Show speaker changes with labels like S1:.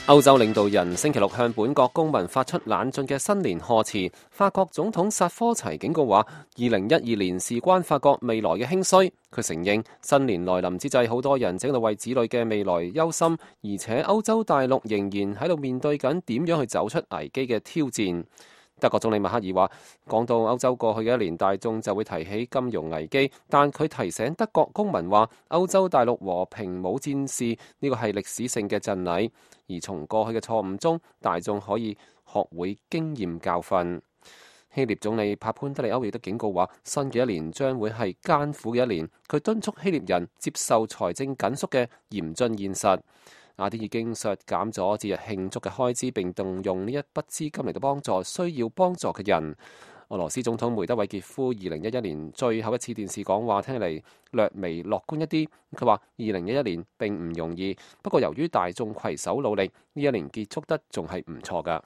S1: 歐洲領導人星期六向本國公民發出冷峻嘅新年賀詞。法國總統薩科齊警告話，2012年事關法國未來嘅興衰。佢承認新年來臨之際，好多人正喺度為子女嘅未來憂心，而且歐洲大陸仍然喺度面對緊點樣去走出危機嘅挑戰。德國總理默克爾話，講到歐洲過去嘅一年，大眾就會提起金融危機，但佢提醒德國公民話，歐洲大陸和平冇戰事，呢個係歷史性嘅贈禮，而從過去嘅錯誤中，大眾可以學會經驗教訓。希臘總理帕潘德利歐亦都警告話，新嘅一年將會係艱苦嘅一年，佢敦促希臘人接受財政緊縮嘅嚴峻現實。雅典已經削減咗節日慶祝嘅開支，並動用呢一筆資金嚟到幫助需要幫助嘅人。俄羅斯總統梅德韋傑夫2011年最後一次電視講話聽起嚟略微樂觀一啲。佢話2011年並唔容易，不過由於大眾攜手努力，呢一年結束得仲係唔錯㗎。